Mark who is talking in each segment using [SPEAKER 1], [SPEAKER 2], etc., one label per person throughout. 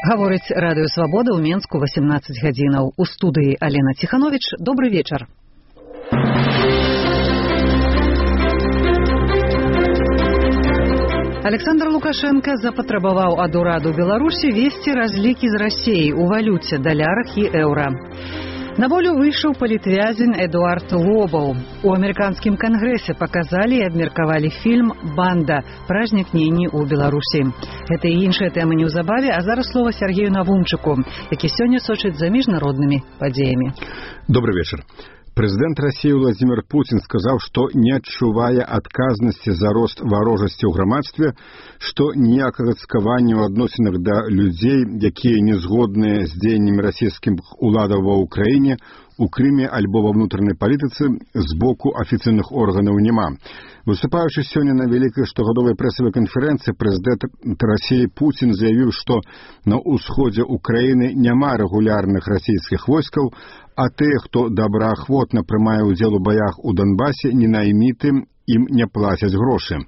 [SPEAKER 1] Гаворыць Радыё Свабода ў Менску 18 гадзінаў. У студыі Алена Ціхановіч. Добры вечар. Александр Лукашенко запатрабаваў ад ураду Беларусі весці разлікі з Расіяй у валюце, далярах і еўра. На волю выйшаў палітвязень Эдуард Лобаў. У амерыканскім кангрэсе паказалі і абмеркавалі фільм «Банда. Пра знікненні ў Беларусі». Гэта і іншыя тэмы неўзабаве, а зараз слова Сергею Навумчыку, які сёння сочыць за міжнароднымі падзеямі.
[SPEAKER 2] Добрый вечер. Президент России Владимир Путин сказал, что не адчувае адказнасці за рост варожасці ў грамадстве, што ніякага цкавання ў адносінах да людзей, якія не згодныя з дзеяннямі расійскіх уладаў ва ўкраіне, у Крыме альбо ва ўнутранай палітыцы з боку афіцыйных органаў няма. Выступаючы сёння на вялікай штогадовай прэсавай канферэнцыі, прэзідэнт Расіі Путин заявіў, што на ўсходзе Украіны няма рэгулярных расійскіх войскаў, а тыя, хто добраахвотна прымае ўдзел у баях у Донбасе, ненаймітым ім не плацяць грошы.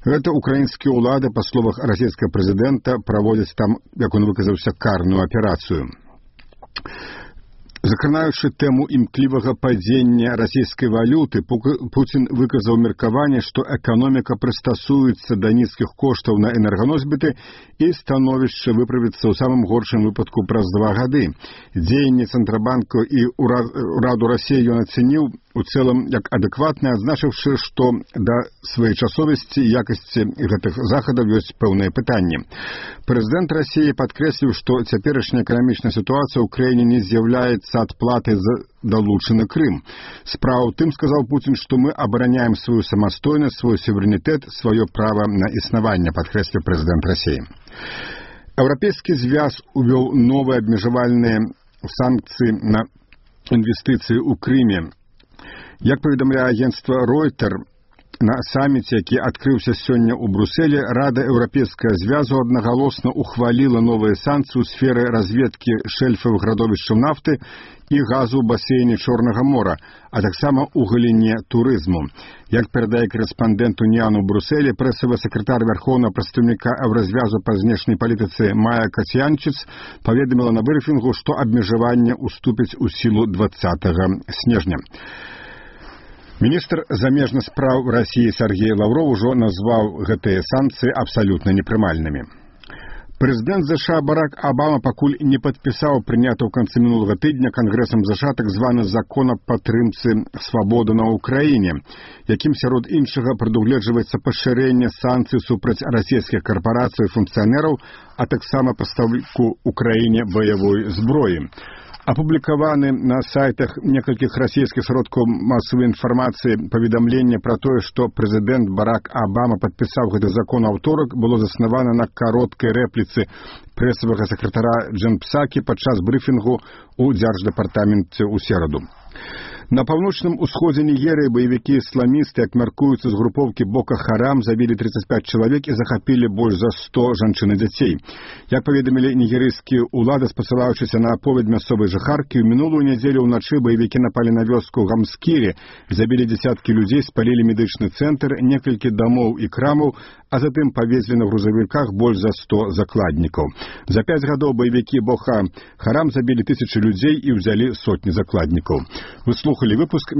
[SPEAKER 2] Гэта украінскія ўлады, па словах расійскага прэзідэнта, праводзяць там, як он выказаўся, карную аперацыю. Закранаючы тэму імклівага падзення расійскай валюты, Путин выказаў меркаванне, што эканоміка прыстасуецца да нізкіх коштаў на энерганосьбіты і становішча выправіцца ў самым горшым выпадку праз 2 гады. Дзеянні Цэнтрабанку і ўраду Расіі ён ацэніў у цэлым як адэкватна, адзначыўшы, што да своечасовасці і якасці гэтых захадаў ёсць пэўныя пытанні. Прэзідэнт Расіі падкрэсліў, што цяперашняя эканамічная сітуацыя ў краіне не з'яўляецца адплатай за далучаны Крым. Справа ў тым, сказаў Путин, што мы абараняем сваю самастойнасць, свой суверэнітэт, сваё права на існаванне, падкрэсліў прэзідэнт Расіі. Еўрапейскі звяз увёў новыя абмежавальныя санкцыі на інвестыцыі ў Крыме. Як паведамляе агенцтва Reuters, на саміце, які адкрыўся сёння ў Брусэле, Рада Еўрапейскага звязу аднагалосна ухваліла новыя санкцыі ў сферы разведкі шэльфавых радовішчаў нафты і газу ў басейне Чорнага мора, а таксама ў галіне турызму. Як перадае корэспандэнт Уніяну ў Брусэле, прэсавы сакратар вярхоўнага прадстаўніка Еўразвязу па знешняй палітыцы Майя Кацянчыц паведаміла на брыфінгу, што абмежаванне уступіць у сілу 20 снежня. Міністр замежных спраў Расіі Сергей Лавров ужо назваў гэтыя санкцыі абсалютна непрымальнымі. Прэзідэнт США Барак Абама пакуль не падпісаў прыняты ў канцы мінулага тыдня Кангрэсам США так званы закон аб падтрымцы свабоды на Ўкраіне, якім сярод іншага прадугледжваецца пашырэнне санкцый супраць расійскіх карпарацый і функцыянераў, а таксама пастаўку Украіне баявой зброі. Апублікаваны на сайтах некалькіх расійскіх сродкаў масавай інфармацыі паведамленне пра тое, што прэзідэнт Барак Абама падпісаў гэты закон аўторак, было заснавана на кароткай рэпліцы прэсавага сакратара Джен Псакі падчас брыфінгу ў дзярждэпартаменце ў сераду. На паўночным усходзе Нігерыі баевікі ісламісты, як мяркуюцца з групоўкі Бока Харам, забілі 35 чалавек і захапілі больш за 100 жанчын і дзяцей. Як паведамілі нігерыйскія ўлады, спасылаючыся на аповедь мясцовай жыхаркі, у мінулую нядзелю ўначы баевікі напалі на вёску Гамскірі, забілі дзесяткі людзей, спалілі медычны цэнтр, некалькі дамоў і крамаў, а затым павезлі на грузавіках больш за 100 закладнікаў. За 5 гадоў баевікі Бока Харам забілі 1000 людзей і ўзялі сотні закладнікаў. Вы слухали выпуск